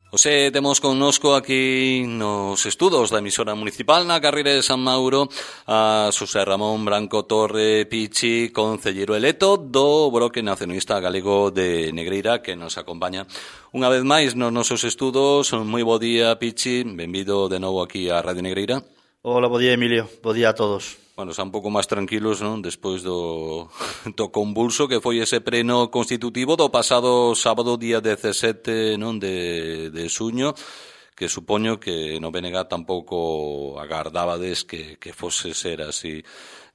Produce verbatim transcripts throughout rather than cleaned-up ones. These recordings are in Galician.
Ose, temos connosco aquí nos estudos da emisora municipal na carreira de San Mauro a Xosé Ramón Branco Torre Pichi, concelleiro electo do Bloque Nacionalista Galego de Negreira, que nos acompaña unha vez máis nos nosos estudos. Moi bo día, Pichi, benvido de novo aquí a Radio Negreira. Hola, bo día, Emilio, bo día a todos. Bueno, xa un pouco máis tranquilos, non? Despois do, do convulso que foi ese pleno constitutivo do pasado sábado, día dezasete, non? De, de xuño, que supoño que no B N G tampouco agardabades que, que fose ser así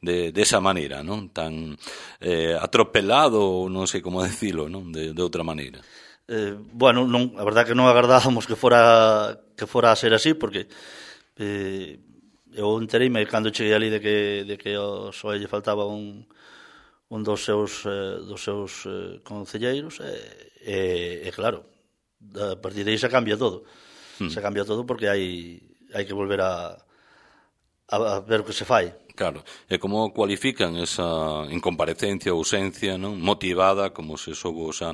de, de esa maneira, non? Tan eh, atropelado, non sei como decilo, non? De, de outra maneira. Eh, bueno, non, a verdad que non agardábamos que fora que fora a ser así, porque eh, eu entereime cando cheguei ali de que, de que ao P S O E lle faltaba un, un dos seus, eh, dos seus eh, concelleiros e, e, e claro, a partir de aí se cambia todo. Hmm. Se cambia todo porque hai, hai que volver a, a, a ver o que se fai. Claro, e como cualifican esa incomparecencia ou ausencia, non? Motivada, como se soubo xa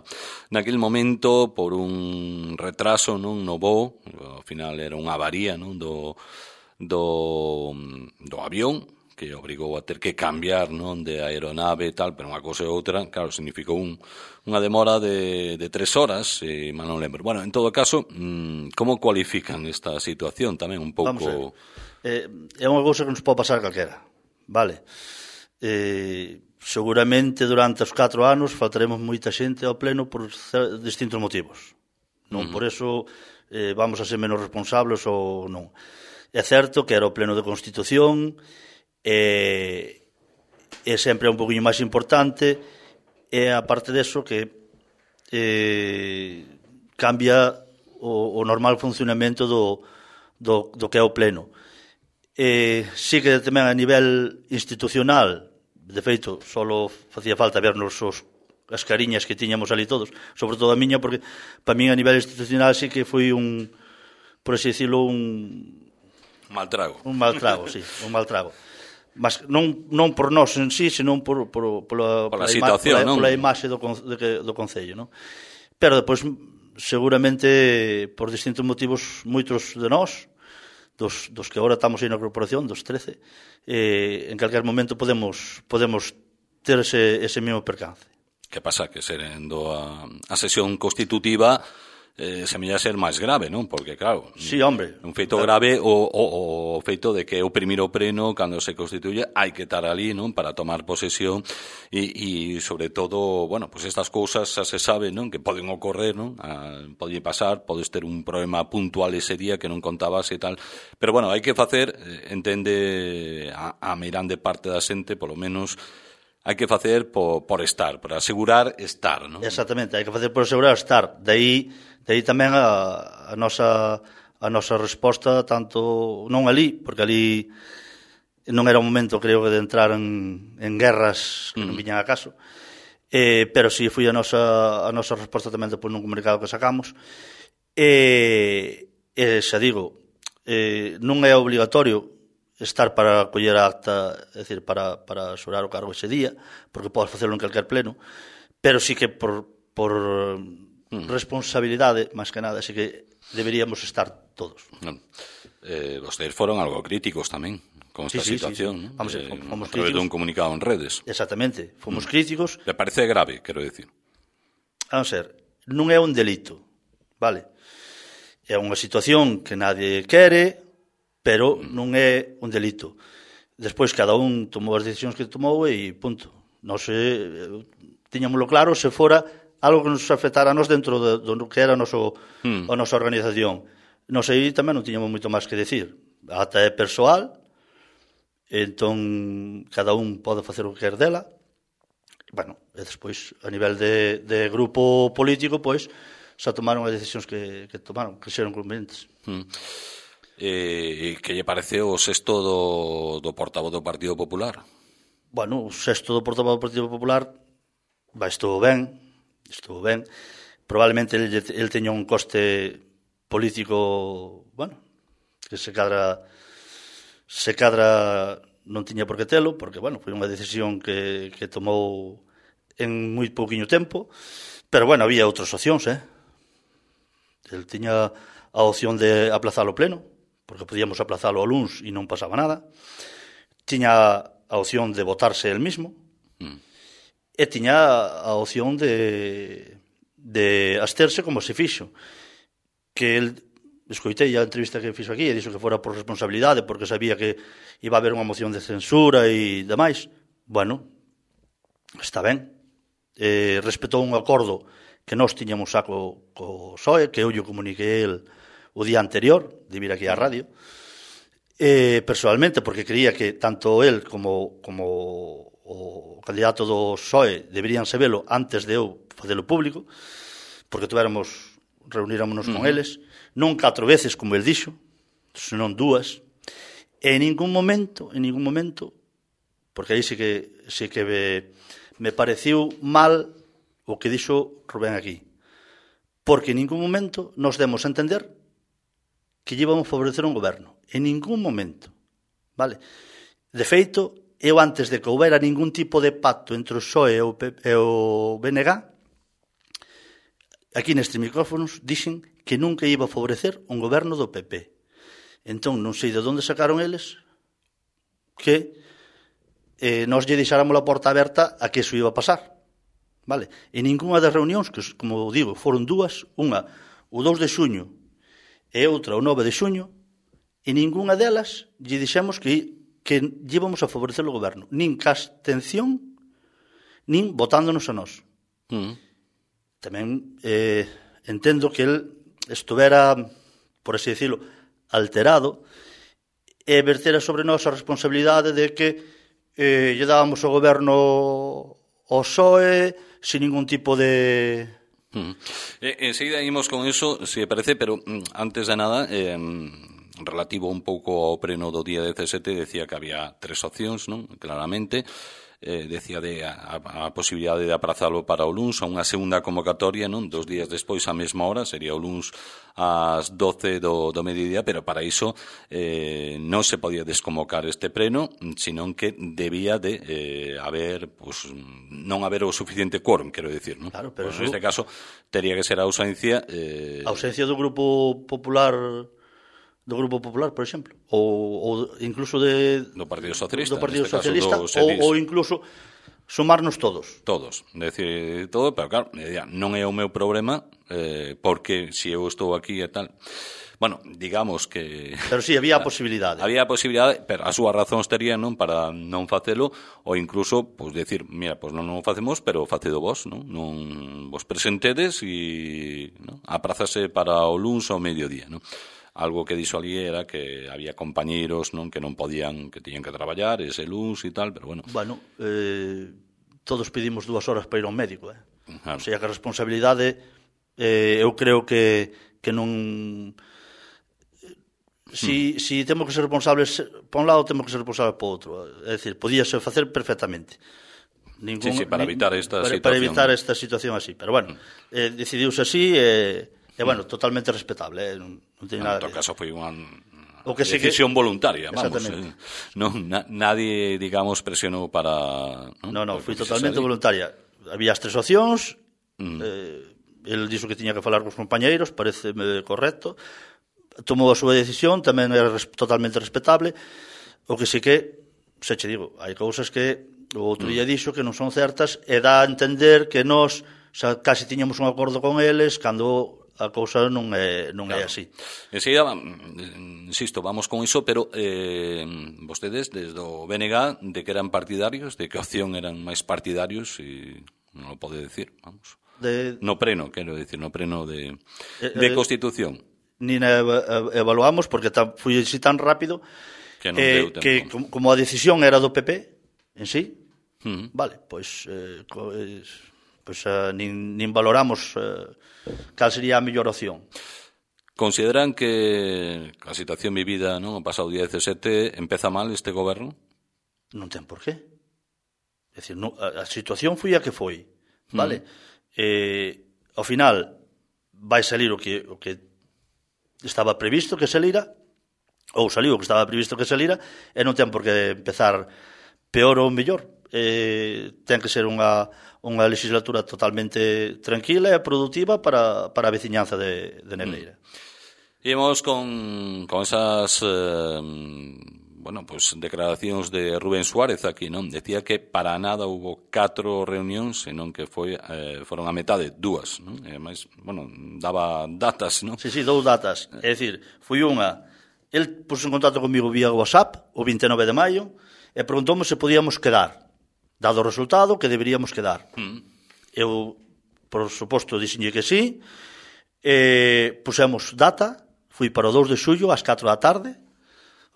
naquele momento por un retraso, non? No voo, ao final era unha avaría, non? Do do, do avión, que obrigou a ter que cambiar, non, de aeronave e tal, pero unha cousa e outra, claro, significou un, unha demora de, de tres horas, e mal non lembro. Bueno, en todo caso, mmm, como cualifican esta situación tamén un pouco? Vamos a ver. Eh, é unha cousa que nos pode pasar calquera, vale? Eh, seguramente durante os catro anos faltaremos moita xente ao pleno por distintos motivos. Non uh-huh. Por eso eh, vamos a ser menos responsables ou non. É certo que era o pleno de Constitución e, e sempre é un poquinho máis importante e aparte deso que eh, cambia o, o normal funcionamento do, do, do que é o pleno. E sí que tamén a nivel institucional, de feito, só facía falta vernos os, as cariñas que tiñamos ali todos, sobre todo a miña, porque para min a nivel institucional sí que foi un, por así decirlo, un Un mal trago. Un mal trago, sí, un mal trago. Mas non, non por nós en sí, senón por, por, por, la, por, la situación, ima, por, la, por la imaxe do, de, do Concello, non? Pero depois, seguramente, por distintos motivos, moitos de nós, dos, dos que agora estamos aí na corporación, dos trece, eh, en calquer momento podemos, podemos ter ese, ese mesmo percance. Que pasa? Que serendo a, a sesión constitutiva eh, semella ser máis grave, non? Porque, claro, sí, hombre, un feito claro. grave o, o, o feito de que o primeiro pleno, cando se constituye, hai que estar ali, non? Para tomar posesión e, e sobre todo, bueno, pues estas cousas xa se sabe, non? Que poden ocorrer, non? A, pode pasar, podes ter un problema puntual ese día que non contabas e tal, pero, bueno, hai que facer, entende a, a mirande parte da xente, polo menos hai que facer por, por estar, por asegurar estar, non? Exactamente, hai que facer por asegurar estar. De aí, de aí tamén a, a nosa a nosa resposta, tanto non ali, porque ali non era o momento, creo, de entrar en, en guerras que non viñan a caso, eh, pero si sí foi a nosa, a nosa resposta tamén depois nun comunicado que sacamos. E, e xa digo, eh, non é obligatorio estar para coller a acta, é dicir, para, para xorar o cargo ese día, porque podes facelo en calquer pleno, pero sí que por, por mm. responsabilidade, máis que nada, sí que deberíamos estar todos. No. Eh, vostedes foron algo críticos tamén con esta sí, sí, situación, sí, sí. ¿no? Vamos, eh, fomos a través críticos. de un comunicado en redes. Exactamente, fomos mm. críticos. Le parece grave, quero decir? Vamos a ver, non é un delito, vale? É unha situación que nadie quere, pero non é un delito. Despois cada un tomou as decisións que tomou e punto. Non se tiñámoslo claro se fora algo que nos afectara a nos dentro do, do que era a, noso, mm. a nosa organización. Non sei, tamén non tiñamos moito máis que decir. A ata é persoal, entón cada un pode facer o que quer dela. Bueno, e despois a nivel de, de grupo político, pois xa tomaron as decisións que, que tomaron, que xeron convenientes. Mm. Eh, que lle parece o sexto do, do portavoz do Partido Popular? Bueno, o sexto do portavoz do Partido Popular va, estou ben, estou ben. Probablemente el, el teña un coste político, bueno, que se cadra se cadra non tiña por que telo, porque, bueno, foi unha decisión que, que tomou en moi pouquiño tempo, pero, bueno, había outras opcións, eh? El tiña a opción de aplazalo pleno, porque podíamos aplazalo ao luns e non pasaba nada. Tiña a opción de votarse el mismo. Mm. E tiña a opción de, de absterse como se fixo. Que el, escoitei a entrevista que fixo aquí e dixo que fora por responsabilidade, porque sabía que iba a haber unha moción de censura e demais. Bueno, está ben. Eh, respetou un acordo que nós tiñamos xa co, co P S O E, que eu lle comuniquei el o día anterior de vir aquí á radio, eh, personalmente, porque creía que tanto el como, como o candidato do P S O E deberían sabelo antes de eu facelo público, porque tuéramos, reunirámonos con eles, non catro veces, como el dixo, senón dúas, e en ningún momento, en ningún momento, porque aí sí que, sí que me, me pareciu mal o que dixo Rubén aquí, porque en ningún momento nos demos a entender que llevamos a favorecer un goberno, en ningún momento, vale? De feito, eu antes de que houbera ningún tipo de pacto entre o P S O E e o, P P, e o B N G, aquí nestes micrófonos dixen que nunca iba a favorecer un goberno do P P. Entón, non sei de onde sacaron eles que eh, nós lle deixáramos a porta aberta a que iso iba a pasar. Vale? En ninguna das reunións, que, como digo, foron dúas, unha o dous de xuño e outra o nove de xuño, en ninguna delas lle dixemos que, que íbamos a favorecer o goberno, nin ca abstención, nin votándonos a nós. Mm. Tamén eh, entendo que el estuvera, por así decirlo, alterado e vertera sobre nós a responsabilidade de que eh, lle dábamos ao goberno ao P S O E sin ningún tipo de... Mm. Eh, enseguida imos con eso, se si parece, pero mm, antes de nada, eh, relativo un pouco ao pleno do día dezasete, decía que había tres opcións, non? Claramente, eh, decía de a, a posibilidade de aprazalo para o luns a unha segunda convocatoria, non? Dos días despois á mesma hora, sería o luns ás doce do, do mediodía, pero para iso eh, non se podía desconvocar este pleno, senón que debía de eh, haber, pues, non haber o suficiente quórum, quero dicir, non? Claro, pero pues, neste caso, tería que ser a ausencia... Eh... A ausencia do Grupo Popular... do Grupo Popular, por exemplo, ou, ou incluso de do Partido Socialista, do Partido Socialista caso, ou, ou incluso sumarnos todos. Todos, decir todo, pero claro, non é o meu problema, eh, porque se eu estou aquí e tal. Bueno, digamos que... Pero sí, había a posibilidade. Había a posibilidade, pero as súas razóns terían, non, para non facelo, ou incluso, pois, pues, decir, mira, pois pues non o facemos, pero facedo vos, non? Non vos presentedes e non? Aprázase para o luns ao mediodía, non? Algo que dixo ali era que había compañeiros, non, que non podían, que tiñan que traballar ese luns e tal, pero bueno. Bueno, eh, todos pedimos dúas horas para ir ao médico, eh? Claro. O sea, que a responsabilidade, eh, eu creo que, que non... Si, hmm. si temos que ser responsables por un lado, temos que ser responsables por outro. É dicir, podíase facer perfectamente. Ningún, sí, sí, para evitar esta para, situación. Para evitar esta situación así. Pero bueno, eh, decidiuse así e... Eh, E, bueno, totalmente respetable, eh? non, non teño nada que... En todo que... caso, foi unha o que decisión que... voluntaria, vamos. Eh, non, na, nadie, digamos, presionou para... Non, non, no, foi totalmente voluntaria. Había as tres opcións, mm. eh, el dixo que tiña que falar cos compañeiros, pareceme correcto, tomou a súa decisión, tamén era res, totalmente respetable, o que sí que, se che digo, hai cousas que o outro día dixo que non son certas e dá a entender que nós xa casi tiñamos un acordo con eles cando... a cousa non é, non claro. É así. Enseguida, insisto, vamos con iso, pero eh, vostedes, desde o B N G, de que eran partidarios, de que opción eran máis partidarios, e non o pode decir, vamos. De... No preno, quero decir, no preno de, eh, de Constitución. Nin evaluamos, porque foi así tan rápido que, non eh, que como a decisión era do P P en sí, uh-huh. Vale, pois... Eh, pues, pois uh, nin, nin valoramos uh, cal sería a mellor opción. Consideran que a situación vivida, non, o pasado día dezasete empeza mal este goberno? Non ten por qué. É dicir, no, a, a situación foi a que foi, vale? Mm. Eh, ao final vai salir o que, o que estaba previsto que salira, ou saliu o que estaba previsto que salira, e non ten por que empezar peor ou mellor. eh, ten que ser unha, unha legislatura totalmente tranquila e produtiva para, para a veciñanza de, de Negreira. Mm. Imos con, con esas eh, bueno, pues, declaracións de Rubén Suárez aquí, non? Decía que para nada hubo catro reunións, senón que foi, eh, foron a metade, dúas, non? E máis, bueno, daba datas, non? Sí, sí, dous datas. É dicir, foi unha, el puso en contacto comigo vía WhatsApp o vinte e nove de maio e preguntoume se podíamos quedar, dado o resultado que deberíamos quedar. Mm. Eu, por suposto, dixenlle que sí, e pusemos data, fui para o dous de xullo ás catro da tarde,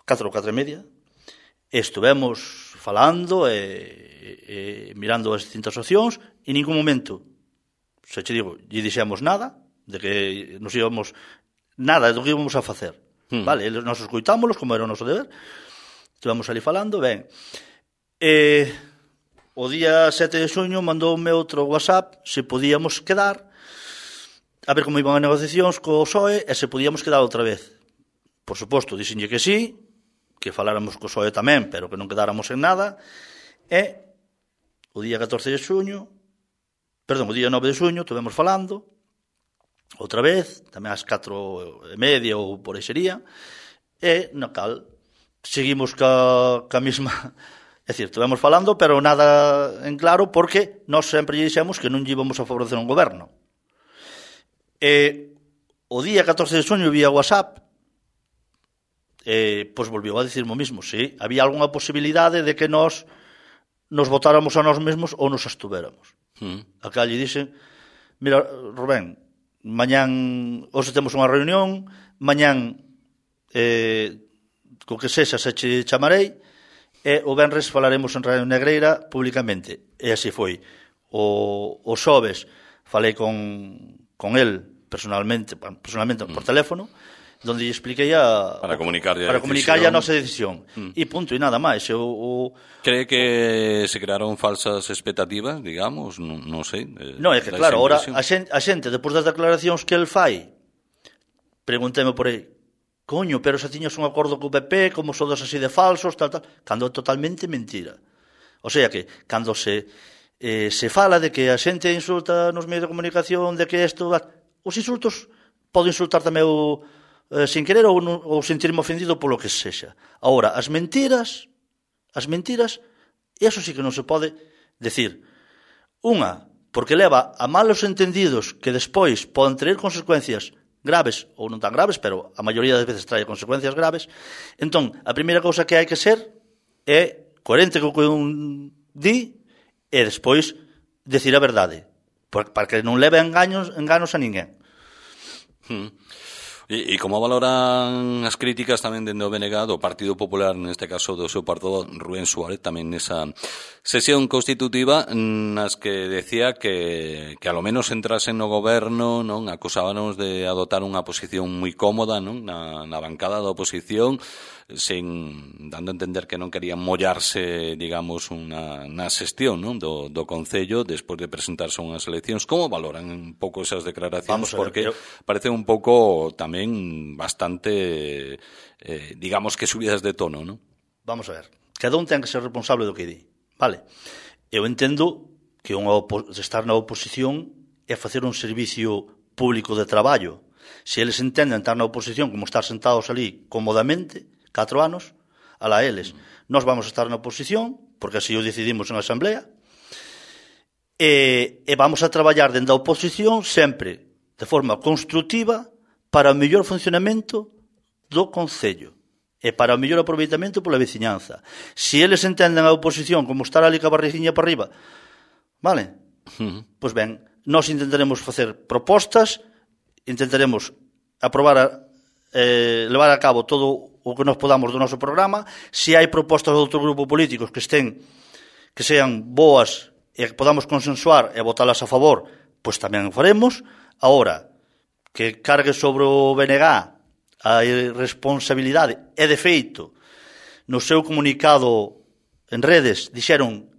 catro ou catro e media, e estuvemos falando e, e mirando as distintas opcións, e en ningún momento, se che digo, lle dixemos nada, de que nos íbamos, nada do que íbamos a facer. Hmm. Vale, nos escoitámoslos, como era o noso deber, estivemos ali falando, ben, e o día sete de xuño mandoume outro WhatsApp se podíamos quedar, a ver como iban as negociacións co P S O E e se podíamos quedar outra vez. Por suposto, dixenlle que sí, que faláramos co P S O E tamén, pero que non quedáramos en nada, e o día catorce de xuño, perdón, o día nove de xuño, estuvemos falando, outra vez, tamén ás catro e media ou por aí sería, e na cal seguimos ca, ca mesma, é dicir, estuvemos falando, pero nada en claro, porque nós sempre lle dixemos que non lle íbamos a favorecer un goberno. E o día catorce de xuño vía WhatsApp, Eh, pois volviu a dicir o mismo, sí, había algunha posibilidade de que nós nos votáramos a nós mesmos ou nos abstuvéramos. Mm. A que lle dixen, mira, Rubén, mañán, hoxe temos unha reunión, mañán, eh, co que sexa se che chamarei, e o venres falaremos en Radio Negreira públicamente. E así foi. O, o xoves falei con, con el personalmente, personalmente mm. por teléfono, donde lle expliquei a para comunicarlle para comunicarlle a nosa decisión. Mm. E punto, e nada máis. Eu, o... Cree que se crearon falsas expectativas, digamos? Non, non sei. Eh, non, é que claro, ahora a xente, a xente, depois das declaracións que el fai, pregunteme por aí, coño, pero se tiñas un acordo co P P, como sodes así de falsos, tal, tal, cando é totalmente mentira. O sea que, cando se eh, se fala de que a xente insulta nos medios de comunicación, de que isto, os insultos pode insultar tamén o Eh, sin querer ou, ou sentirme ofendido polo que sexa. Ahora, as mentiras, as mentiras, eso sí que non se pode decir. Unha, porque leva a malos entendidos que despois poden traer consecuencias graves ou non tan graves, pero a maioría das veces trae consecuencias graves. Entón, a primeira cousa que hai que ser é coherente co que un di e despois decir a verdade, para que non leve engaños, enganos a ninguén. Hmm. E, e como valoran as críticas tamén dende o B N G do Partido Popular, neste caso do seu partido Rubén Suárez, tamén nesa sesión constitutiva nas que decía que, que a lo menos entrasen no goberno, non, acusábanos de adoptar unha posición moi cómoda, non, na, na bancada da oposición, sen dando a entender que non querían mollarse, digamos, unha, na xestión, non, do, do Concello despois de presentarse unhas eleccións. Como valoran un pouco esas declaracións? Porque yo... parece un pouco tamén bastante, eh, digamos que subidas de tono, non? Vamos a ver, cada un ten que ser responsable do que di, vale? Eu entendo que unha opo- estar na oposición é facer un servicio público de traballo. Se eles entenden estar na oposición como estar sentados ali cómodamente, catro anos, alá eles. Nós vamos a estar na oposición, porque así o decidimos en asamblea, e, e vamos a traballar dentro da oposición sempre de forma constructiva para o mellor funcionamento do Concello e para o mellor aproveitamento pola veciñanza. Se eles entenden a oposición como estar ali ca barriguinha para arriba, vale? Uh-huh. Pois ben, nós intentaremos facer propostas, intentaremos aprobar a, eh, levar a cabo todo o que nos podamos do noso programa. Se hai propostas de outro grupo políticos que estén, que sean boas e que podamos consensuar e votalas a favor, pois tamén o faremos. Agora, que cargue sobre o B N G a irresponsabilidade, e de feito, no seu comunicado en redes, dixeron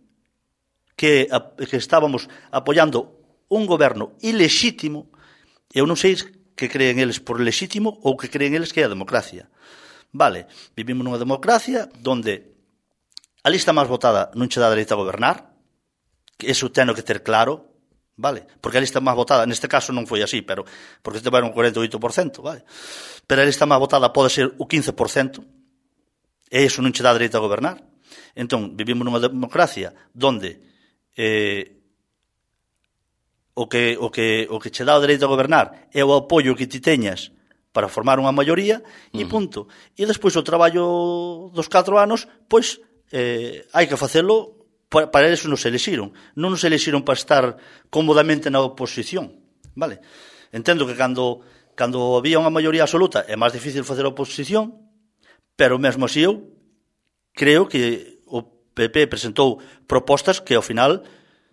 que, que estábamos apoiando un goberno ilexítimo. Eu non sei que creen eles por lexítimo ou que creen eles que é a democracia. Vale, vivimos nunha democracia donde a lista máis votada non che dá dereito a gobernar, que eso teno que ter claro, vale? Porque a lista máis votada, neste caso non foi así, pero porque tiveron un cuarenta e oito por cento, vale? Pero a lista máis votada pode ser o quince por cento, e iso non che dá dereito a gobernar. Entón, vivimos nunha democracia onde eh, o que o que o que che dá o dereito a gobernar é o apoio que ti teñas para formar unha maioría e punto. E despois o traballo dos catro anos, pois eh, hai que facelo, para, para eso nos elixiron. Non nos elixiron para estar cómodamente na oposición, vale? Entendo que cando, cando había unha maioría absoluta é máis difícil facer oposición, pero mesmo así eu creo que o P P presentou propostas que ao final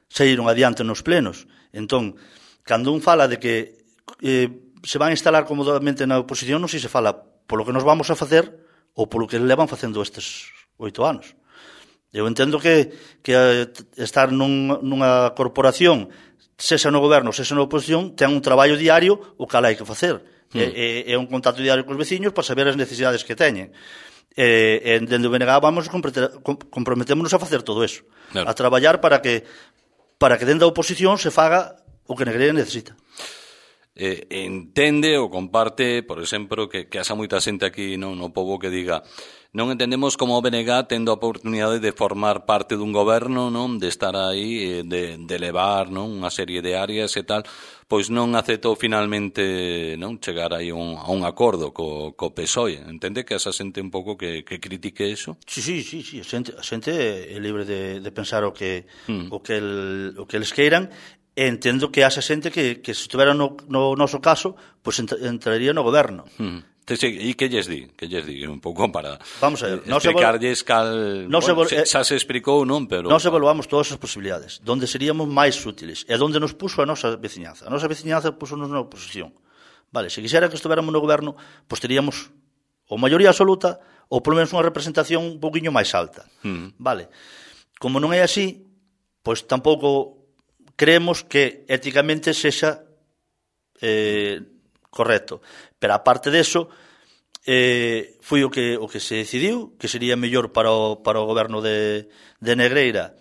saíron adiante nos plenos. Entón, cando un fala de que eh, se van a instalar cómodamente na oposición, non sei se fala polo que nos vamos a facer ou polo que levan facendo estes oito anos. Eu entendo que, que estar nun, nunha corporación, sexa no goberno, sexa na oposición, ten un traballo diario o cal hai que facer. Mm. É, é, é un contacto diario cos veciños para saber as necesidades que teñen. E, e dende o B N G vamos comprometémonos a facer todo eso. Claro. A traballar para que para que dentro da oposición se faga o que Negreira necesita. Eh, entende ou comparte, por exemplo, que, que haxa moita xente aquí no, no pobo que diga non entendemos como o B N G tendo a oportunidade de formar parte dun goberno, non, de estar aí, de, de levar, non, unha serie de áreas e tal, pois non aceptou finalmente, non, chegar aí un, a un acordo co, co P S O E. Entende que esa xente un pouco que, que critique eso? Sí, sí, sí, sí. A xente, a xente é libre de, de pensar o que, mm. o que, el, o que eles queiran. E entendo que haxa xente que, que se estuvera no, no noso caso, pois pues entraría no goberno. Mm. E que lles di? Que lles di? Un pouco para Vamos a ver, no explicarlles se cal... No bueno, se, xa se explicou, non? Pero... Non se evaluamos todas as posibilidades. Donde seríamos máis útiles. E donde nos puso a nosa veciñanza. A nosa veciñanza puso-nos na oposición. Vale, se quixera que estuveramos no goberno, pois pues teríamos ou maioría absoluta ou polo menos unha representación un pouquiño máis alta. Mm. Vale. Como non é así, pois tampouco creemos que éticamente sexa eh, correcto. Pero aparte deso, eh, foi o que o que se decidiu, que sería mellor para o, para o goberno de, de Negreira,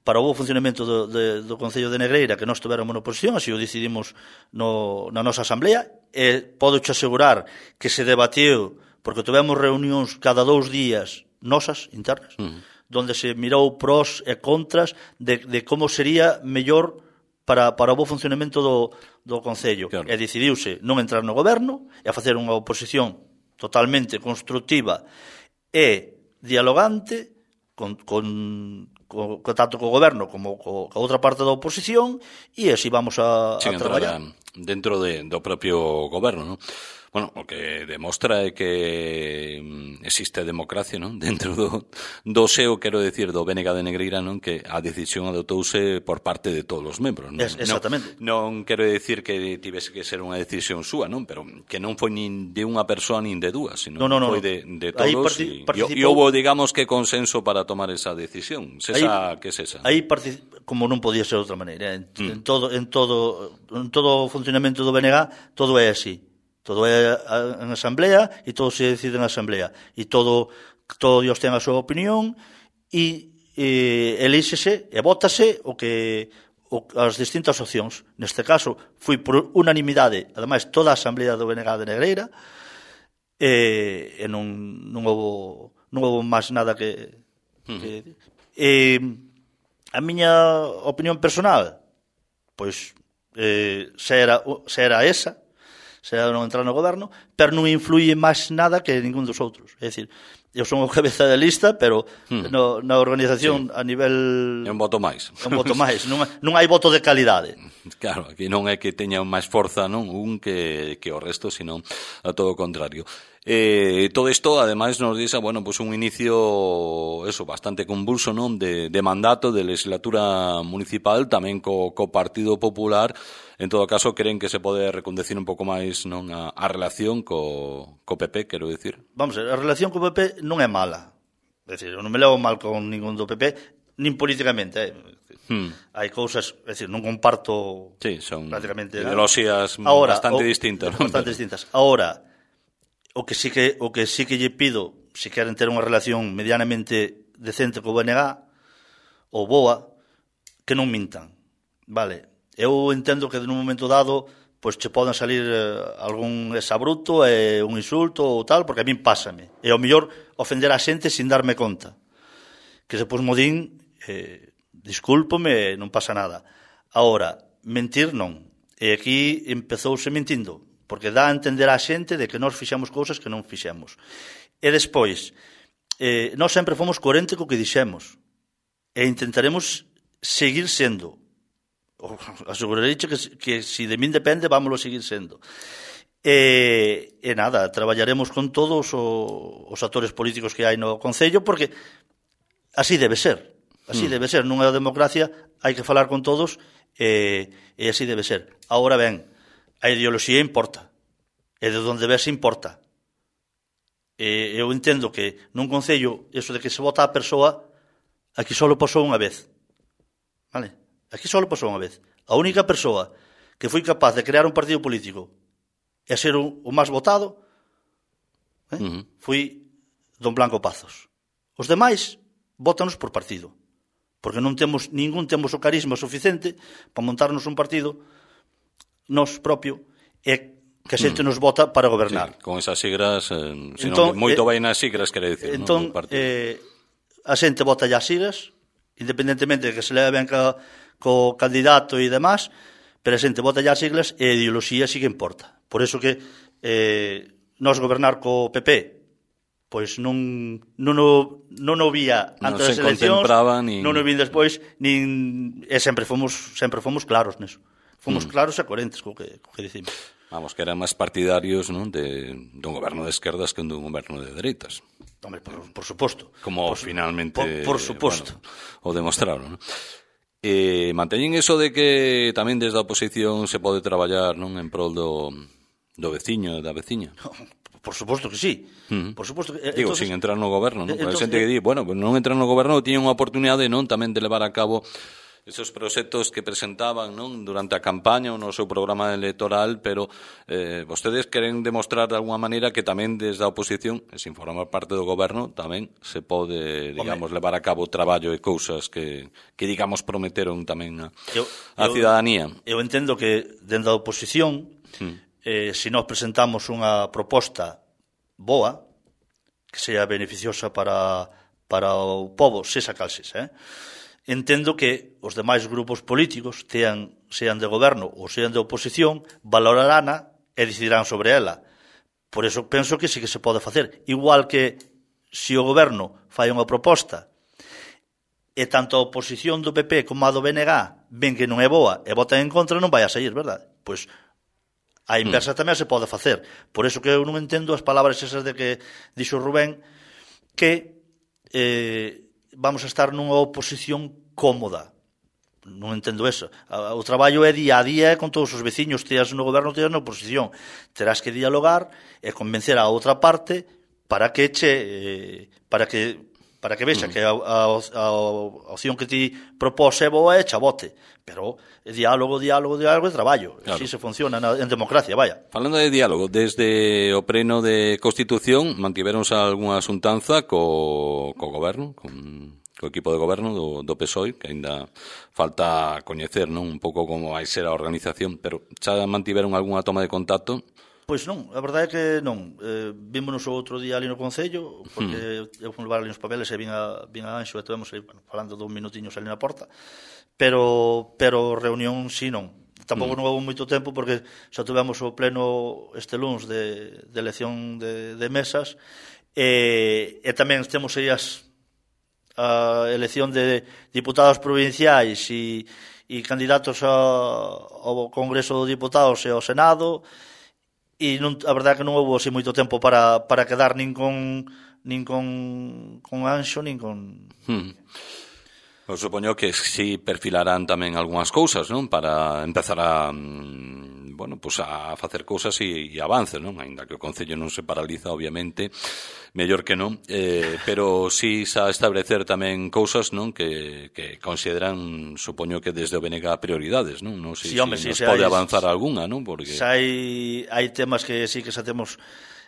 para o bo funcionamento do, de, do Concello de Negreira, que nós tuveramos na oposición, así o decidimos no, na nosa asamblea, e podo te asegurar que se debatiu, porque tivemos reunións cada dous días nosas, internas, uh-huh. donde se mirou pros e contras de, de como sería mellor para, para o bo funcionamento do, do Concello. Claro. E decidiuse non entrar no goberno e a facer unha oposición totalmente constructiva e dialogante con, con, con, con tanto co goberno como co, co outra parte da oposición, e así vamos a, a traballar. Dentro de, do propio goberno, non? Bueno, o que demostra é que existe democracia, non? Dentro do, do seo, quero decir, do B N G de Negreira, non? Que a decisión adotouse por parte de todos os membros, non? Es, exactamente. Non, non quero decir que tivese que ser unha decisión súa, non? Pero que non foi nin de unha persoa nin de dúas, sino no, no, no, foi de, de todos. E participou... houve, digamos, que consenso para tomar esa decisión. Sesa, que sesa? Aí, como non podía ser de outra maneira, en, mm. en, todo, en, todo, en todo o funcionamento do B N G, todo é así. Todo é en asamblea e todo se decide en asamblea. E todo, todo Dios ten a súa opinión e, e elíxese e vótase o que o, as distintas opcións. Neste caso, foi por unanimidade, ademais, toda a asamblea do B N G de Negreira, e, e non, non houve non houve máis nada que... que e, a miña opinión personal, pois, eh, se, era, se era esa, se era non entrar no goberno, pero non influye máis nada que ningún dos outros. É dicir, eu son o cabeza de lista, pero hmm. no, na organización sí. a nivel... É un voto máis. É un voto máis, non, non hai voto de calidade. Claro, aquí non é que teña máis forza, non, un que, que o resto, sino a todo o contrario. Eh, todo isto, ademais, nos dice, bueno, pues un inicio, eso, bastante convulso, non, de, de mandato, de legislatura municipal, tamén co, co Partido Popular. En todo caso, creen que se pode recondecir un pouco máis, non, a, a relación co, co P P, quero dicir. Vamos a ver, a relación co P P non é mala. É dicir, eu non me levo mal con ningún do P P, nin políticamente, eh. Hmm. Hai cousas, é dicir, non comparto sí, son prácticamente ideoloxías bastante o, distintas, non? Bastante distintas. Ahora, o que sí que o que sí que lle pido, se queren ter unha relación medianamente decente co B N G ou BOA, que non mintan, vale? Eu entendo que nun momento dado pois che poden salir eh, algún exabruto e un insulto ou tal, porque a min pásame. E ao mellor ofender a xente sin darme conta. Que se pos modín, eh, discúlpome, non pasa nada. Agora, mentir non. E aquí empezouse mentindo, porque dá a entender a xente de que nós fixemos cousas que non fixemos. E despois, eh, nós sempre fomos coherente co que dixemos. E intentaremos seguir sendo. Asegurarei que, que si de min depende, vámoslo seguir sendo. E, e nada, traballaremos con todos o, os actores políticos que hai no Concello, porque así debe ser. Así mm. debe ser. Nunha democracia hai que falar con todos e, e así debe ser. Ahora ben, a ideoloxía importa. E de onde ves importa. E eu entendo que nun Concello, eso de que se vota a persoa, aquí só pasou unha vez. Vale? Aquí só pasou unha vez. A única persoa que foi capaz de crear un partido político e ser o, o máis votado eh, uh-huh. foi don Blanco Pazos. Os demais votanos por partido. Porque non temos, ningún temos o carisma suficiente para montarnos un partido nos propio e que a xente mm. nos vota para gobernar. Sí, con esas sigras, eh, entón, moito vai nas sigras, quere dicir, entón, non? Eh, a xente vota as sigras, independentemente de que se leve ben ca, co candidato e demás, pero a xente vota as siglas e a ideoloxía sí que importa. Por eso que eh, nos gobernar co P P, pois non non o, non o vía antes das eleccións, ni... non o vin despois, nin e sempre fomos sempre fomos claros neso. Fomos mm. claros e coherentes co que, co que dicimos. Vamos, que eran máis partidarios, non, de dun goberno de esquerdas que dun goberno de dereitas. Hombre, por, por suposto. Como por, finalmente... Por, por suposto. Bueno, o demostraron, non? Eh, manteñen eso de que tamén desde a oposición se pode traballar, non, en prol do, do veciño, da veciña? Por suposto que sí. Uh-huh. Por suposto que, Digo, entonces, sin entrar no goberno, non? Entonces, entonces, xente que di, bueno, pues non entrar no goberno, tiñen unha oportunidade, non, tamén de levar a cabo esos proxectos que presentaban, non, durante a campaña ou no seu programa electoral, pero eh, vostedes queren demostrar de alguma maneira que tamén desde a oposición, e sin formar parte do goberno, tamén se pode, digamos, Home. levar a cabo traballo e cousas que, que digamos, prometeron tamén a, eu, a eu, ciudadanía. Eu entendo que dentro da oposición, hmm. eh, se nós presentamos unha proposta boa, que sea beneficiosa para, para o povo, sexa cal sexa, eh? Entendo que os demais grupos políticos, tean, sean de goberno ou sean de oposición, valorarana e decidirán sobre ela. Por eso penso que sí que se pode facer. Igual que se o goberno fai unha proposta e tanto a oposición do P P como a do B N G ven que non é boa e votan en contra, non vai a sair, verdade? Pois a inversa mm. tamén se pode facer. Por eso que eu non entendo as palabras esas de que dixo Rubén que eh, vamos a estar nunha oposición cómoda. Non entendo eso. O traballo é día a día con todos os veciños, teas no goberno, teas na oposición. Terás que dialogar e convencer a outra parte para que che eh, para que para que vexa mm. que a, a, a opción que ti propós é boa e cha vote. Pero diálogo, diálogo, diálogo e traballo. Claro. Así se funciona na, en democracia, vaya. Falando de diálogo, desde o pleno de Constitución mantiveronse algunha asuntanza co, co goberno, con co equipo de goberno do, do P S O E, que ainda falta coñecer, non, un pouco como vai ser a organización, pero xa mantiveron algunha toma de contacto? Pois non, a verdade é que non. Eh, vímonos o outro día ali no Concello, porque hmm. eu fui levar ali uns papeles e vin a, vin a Anxo e estivemos aí, bueno, falando dous minutiños ali na porta, pero pero reunión si non. Tampouco hmm. non houve moito tempo porque xa tivemos o pleno este luns de, de elección de, de mesas e, e tamén temos aí as a elección de diputados provinciais e, e candidatos a, ao Congreso de Diputados e ao Senado e non, a verdade é que non houve así moito tempo para, para quedar nin con nin con, con Anxo nin con... Hmm. Eu supoño que si perfilarán tamén algunhas cousas, non? Para empezar a bueno, pues a facer cousas e, e avances, non? Ainda que o Concello non se paraliza, obviamente, mellor que non, eh, pero si xa establecer tamén cousas, non? Que, que consideran, supoño que desde o B N G prioridades, non? Non sei sí, se hombre, si sí, nos pode hai, avanzar algunha, non? Porque xa hai, hai temas que sí que xa temos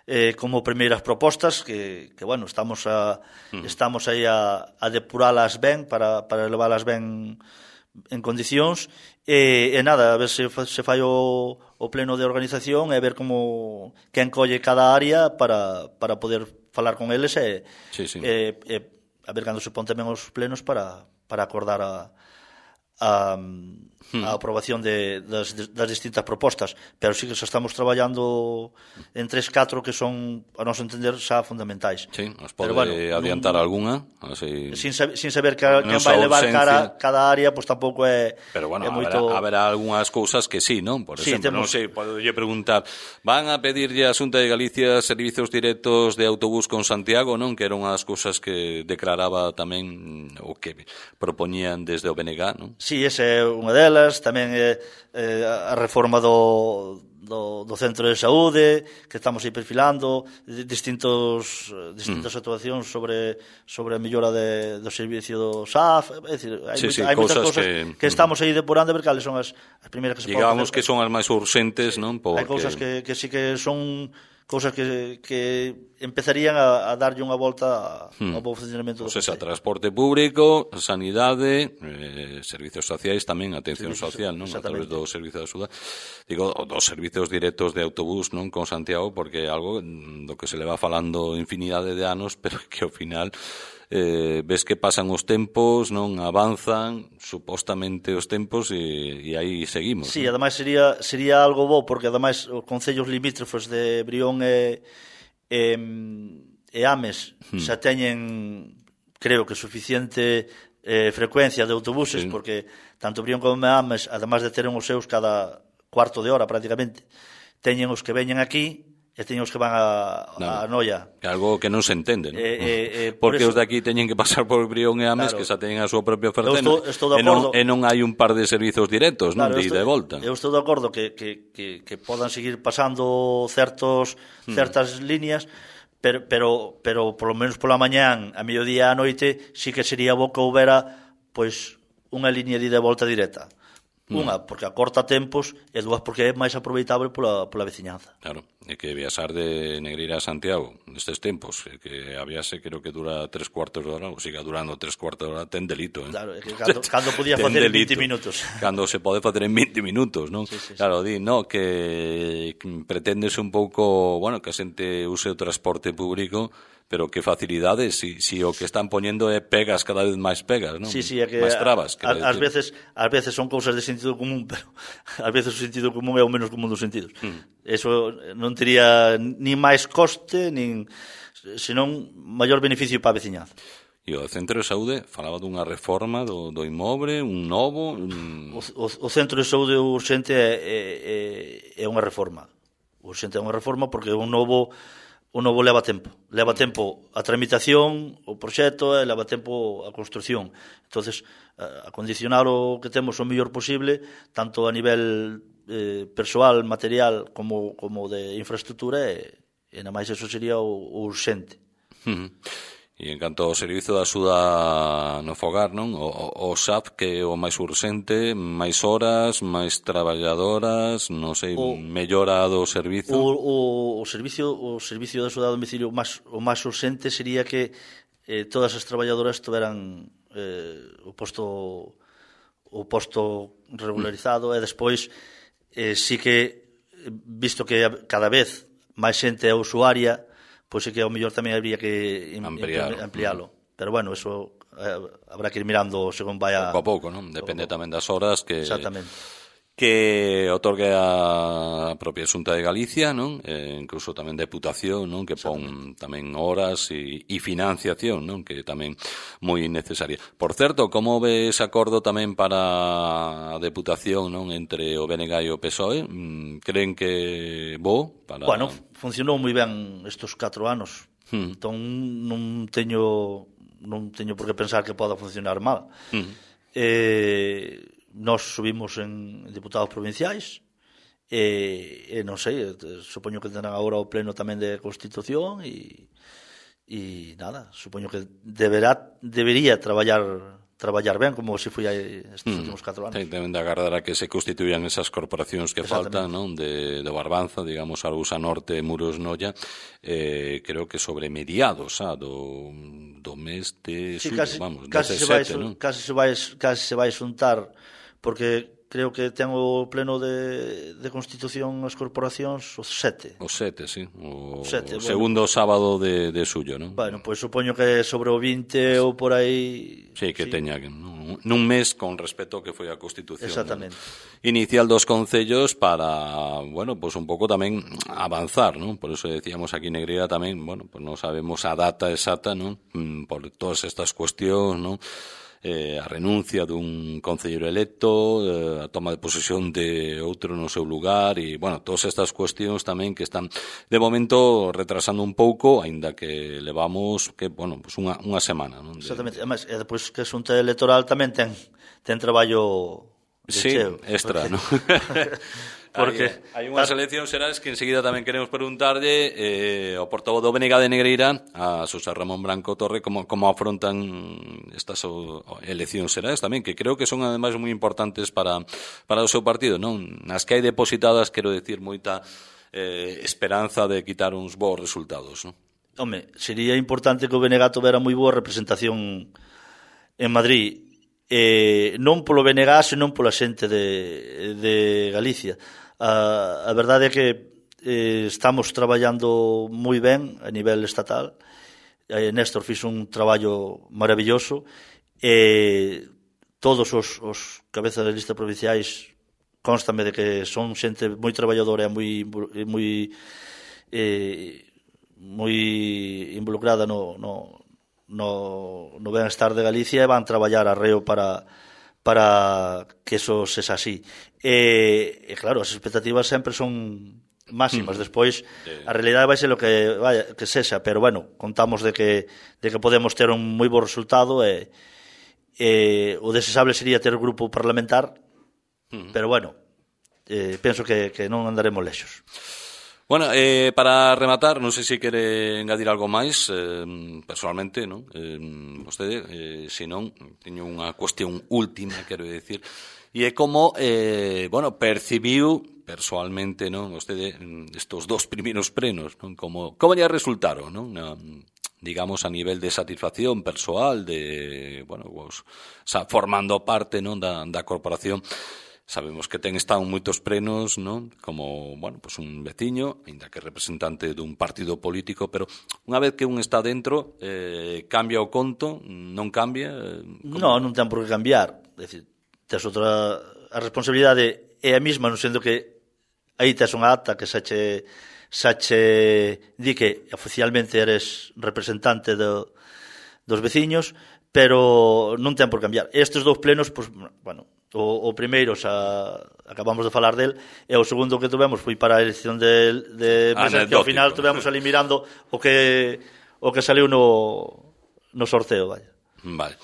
eh, como primeiras propostas que, que bueno, estamos a mm. estamos aí a, a depuralas ben para, para leválas ben en condicións e, e nada, a ver se, se fai o, o pleno de organización e ver como quen colle cada área para, para poder falar con eles e, sí, sí. e, e a ver cando se pon tamén os plenos para, para acordar a a, a aprobación de, das, das distintas propostas, pero sí que xa estamos traballando en tres, catro que son, a noso entender, xa fundamentais. Sí, nos pode bueno, adiantar nun, alguna? Así, sin, saber, sin saber que, que vai levar cara, cada área, pois pues, tampouco é, pero bueno, é haberá, moito... haberá algunhas cousas que sí, non? Por sí, exemplo, temos... non sei, podolle preguntar, van a pedirlle a Xunta de Galicia servizos directos de autobús con Santiago, non? Que eran as cousas que declaraba tamén o que propoñían desde o B N G, non? Sí, esa é unha delas, tamén é eh, a reforma do, do, do centro de saúde, que estamos aí perfilando, distintos distintas mm. actuacións sobre sobre a mellora de, do servicio do S A F, é dicir, hai, sí, moita, sí, hai moitas cousas cousas que, que estamos aí depurando a ver cales son as, as primeiras que se poden digamos que son as máis urxentes, non? Porque... hai cousas que, que sí que son cousas que, que empezarían a, a darlle unha volta hmm. ao bo funcionamento do pues esa, transporte público, sanidade, eh, servicios sociais tamén, atención servicios, social, non? A través do servicio de axuda. Digo, dos servicios directos de autobús, non? Con Santiago, porque é algo do que se le va falando infinidade de anos, pero que ao final eh, ves que pasan os tempos, non avanzan supostamente os tempos e, e aí seguimos. Sí, non? ademais sería sería algo bo porque ademais os concellos limítrofes de Brión e e, e Ames hmm. xa teñen, creo que suficiente eh, frecuencia de autobuses, sí. Porque tanto Brión como Ames, ademais de ter os seus cada cuarto de hora prácticamente, teñen os que veñen aquí e teñen os que van a, no, a Noia. Que algo que non se entende, non? Eh, eh, eh, porque por os de aquí teñen que pasar por Brión e Ames, claro, que xa teñen a súa propia oferta, estou, estou e, non, e non hai un par de servizos directos, non? Claro, de ida e volta. Eu estou de acordo que, que, que, que podan seguir pasando certos hmm. certas líneas, pero, pero, pero por lo menos pola mañán, a mediodía a noite, sí que sería bo que houbera pois, unha línea de ida e volta directa. Unha, porque acorta tempos, e dúas, porque é máis aproveitable pola, pola veciñanza. Claro, é que viaxar de Negreira a Santiago nestes tempos, é que a viaxe creo que dura tres cuartos de hora, ou siga durando tres cuartos de hora, ten delito, eh? Claro, é que cando, cando podía facer en vinte minutos. Cando se pode facer en vinte minutos, non? Sí, sí, sí. Claro, di, no, que pretendes un pouco, bueno, que a xente use o transporte público, pero que facilidades, si, si o que están poñendo é pegas, cada vez máis pegas, non? Sí, sí, é que máis trabas. A, a, ás veces, ás veces son cousas de sentido común, pero ás veces o sentido común é o menos común dos sentidos. Hmm. Eso non tería ni máis coste, nin senón maior beneficio para a veciñanza. E o Centro de Saúde falaba dunha reforma do, do inmoble, un novo... Un... O, o, o Centro de Saúde urxente é, é, é unha reforma. O urxente é unha reforma porque un novo... O novo leva tempo. Leva tempo a tramitación, o proxecto, e leva tempo a construción. Entonces, a condicionar o que temos o mellor posible, tanto a nivel eh, persoal, material, como, como de infraestructura, e, e na máis eso sería o, o urxente. Uh-huh. E en canto ao servizo de axuda no fogar, non? O, o, o S A F que é o máis urxente, máis horas, máis traballadoras, non sei, o, mellora do servizo. O, o, o servicio o servicio de axuda a domicilio máis o máis urxente sería que eh, todas as traballadoras tuveran eh, o posto o posto regularizado mm. e despois eh, sí que visto que cada vez máis xente é usuaria, pois é que ao mellor tamén habría que amplialo. amplialo. Pero bueno, eso eh, habrá que ir mirando según vaya... Pouco a pouco, non? Depende pouco. Tamén das horas que... Exactamente. Que otorgue a propia Xunta de Galicia, non? Eh, incluso tamén Deputación, non? Que pon tamén horas e, e financiación, non? Que tamén moi necesaria. Por certo, como ve ese acordo tamén para a Deputación, non? Entre o B N G e o P S O E? Creen que bo? Para... Bueno, funcionou moi ben estes catro anos. Hmm. Entón non teño non teño por que pensar que poda funcionar mal. Hmm. Eh... Nós subimos en diputados provinciais e, e non sei, supoño que tendrán agora o pleno tamén de Constitución e, e nada, supoño que deberá, debería traballar traballar ben, como se foi estes mm. últimos catro anos. Ten, deben de agardar a que se constituían esas corporacións que faltan, non? De, de Barbanza, digamos, Arousa Norte, Muros Noia, eh, creo que sobre mediados, ah, do, do mes de sí, suyo, casi, vamos, casi se vai, non? Casi se vai, casi se vai xuntar, porque creo que ten o pleno de, de Constitución as corporacións o sete. O sete, sí. O, sete, o segundo bueno. sábado de, de suyo, non? Bueno, pois pues, supoño que sobre o vinte ou por aí... Sí, que sí. Teña nun, nun mes con respecto ao que foi a Constitución. Exactamente. ¿No? Inicial dos concellos para, bueno, pues un pouco tamén avanzar, non? Por eso decíamos aquí Negreira tamén, bueno, pues non sabemos a data exacta, non? Por todas estas cuestións, non? Eh, a renuncia dun concelleiro electo, eh, a toma de posesión de outro no seu lugar e, bueno, todas estas cuestións tamén que están de momento retrasando un pouco, aínda que levamos que, bueno, pues unha, unha semana, non? De... Exactamente, además, e depois que a xunta electoral tamén ten, ten traballo de sí, cheo. extra, porque... non? Porque hai, hai unhas eleccións xerais que enseguida tamén queremos preguntarlle eh, ao portavoz do B N G de Negreira, a Xosé Ramón Branco Torre, como, como afrontan estas o, eleccións xerais tamén, que creo que son ademais moi importantes para, para o seu partido, non? Nas que hai depositadas, quero decir, moita eh, esperanza de quitar uns bons resultados, non? Home, sería importante que o B N G tovera moi boa representación en Madrid, eh, non polo B N G, senón pola xente de, de Galicia. A, a verdade é que eh, estamos traballando moi ben a nivel estatal. eh, Néstor fixo un traballo maravilloso e eh, todos os, os cabezas de lista provinciais constame de que son xente moi traballadora e moi, moi, eh, moi involucrada no, no, no, no benestar de Galicia e van traballar arreo para para que eso sexa así. E, e claro, as expectativas sempre son máximas. Despois, a realidade vai ser o que vaya, que sexa, pero bueno, contamos de que de que podemos ter un moi bo resultado e, e o desexable sería ter grupo parlamentar, pero bueno, eh, penso que, que non andaremos lexos. Bueno, eh, para rematar, non sei se quere engadir algo máis, eh, personalmente, non? Eh, vostede, eh, se non, teño unha cuestión última, quero dicir, e é como, eh, bueno, percibiu personalmente, non? Vostede, estos dos primeiros plenos, non? Como, como lle resultaron, non? Na, digamos, a nivel de satisfacción persoal, de, bueno, vos, o sea, formando parte, non, da, da corporación. Sabemos que ten estado moitos plenos, non? Como, bueno, pues un veciño, ainda que representante dun partido político, pero unha vez que un está dentro, eh, cambia o conto, non cambia? Como... Non, non ten por que cambiar. É dicir, tes outra... A responsabilidade é a mesma, non sendo que aí tes unha acta que xa che, xa che di que oficialmente eres representante do, dos veciños, pero non ten por cambiar. Estes dous plenos, pues, bueno... O, o primeiro xa acabamos de falar del e o segundo que tuvemos foi para a elección de, de mesa, que ao final tuvemos ali mirando o que o que saliu no, no sorteo, vaya. Vale.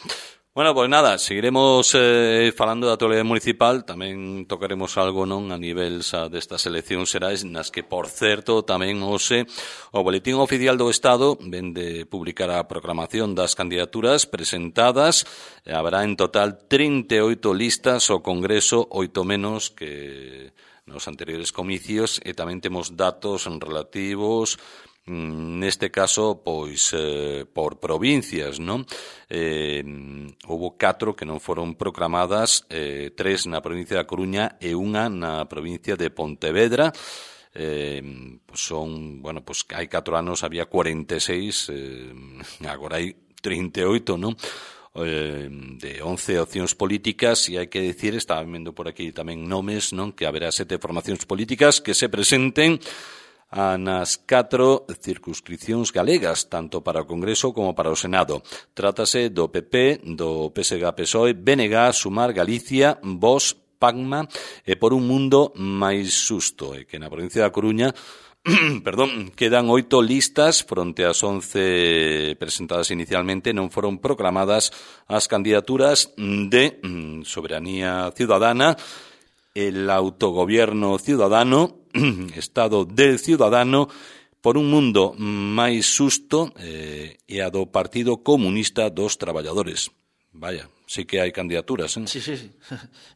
Bueno, pois pues nada, seguiremos eh, falando da actualidade municipal, tamén tocaremos algo, non, a nivel xa destas eleccións xerais, nas que, por certo, tamén hoxe o Boletín Oficial do Estado ven de publicar a proclamación das candidaturas presentadas. Haberá en total trinta e oito listas ao Congreso, oito menos que nos anteriores comicios, e tamén temos datos relativos neste caso, pois, eh, por provincias, non? Eh, houbo catro que non foron proclamadas, eh, tres na provincia da Coruña e unha na provincia de Pontevedra. Eh, pues son, bueno, pues hai catro anos había cuarenta e seis, eh, agora hai trinta e oito, non? Eh, de once opcións políticas, e hai que decir, estaba vendo por aquí tamén nomes, non? Que haberá sete formacións políticas que se presenten a nas catro circunscripcións galegas, tanto para o Congreso como para o Senado. Trátase do P P, do P S G P S O E, B N G, Sumar, Galicia, Vox, Pagma e Por un Mundo Máis Xusto, e que na provincia da Coruña perdón, quedan oito listas fronte ás once presentadas inicialmente. Non foron proclamadas as candidaturas de Soberanía Ciudadana, el Autogobierno Ciudadano, Estado del Ciudadano, Por un Mundo Máis Xusto eh, e a do Partido Comunista dos Traballadores. Vaya, sí que hai candidaturas, eh? Sí, sí, sí.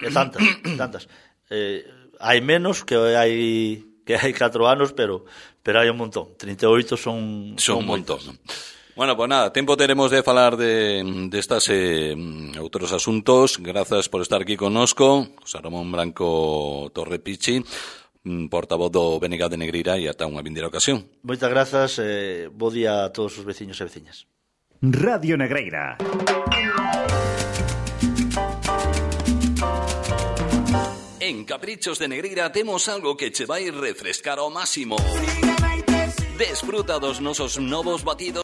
E tantas, tantas. Eh, hai menos que hai que hai catro anos, pero pero hai un montón. trinta e oito son son un montón, non? Bueno, pues nada, tempo teremos de falar de, de estas eh, outros asuntos. Grazas por estar aquí connosco, José Ramón Branco Torrepichi, portavoz do B N G de Negreira, e ata unha vindeira ocasión. Moitas grazas, eh, bo día a todos os veciños e veciñas. Radio Negreira. En Caprichos de Negreira temos algo que che vai refrescar ao máximo. Desfruta dos nosos novos batidos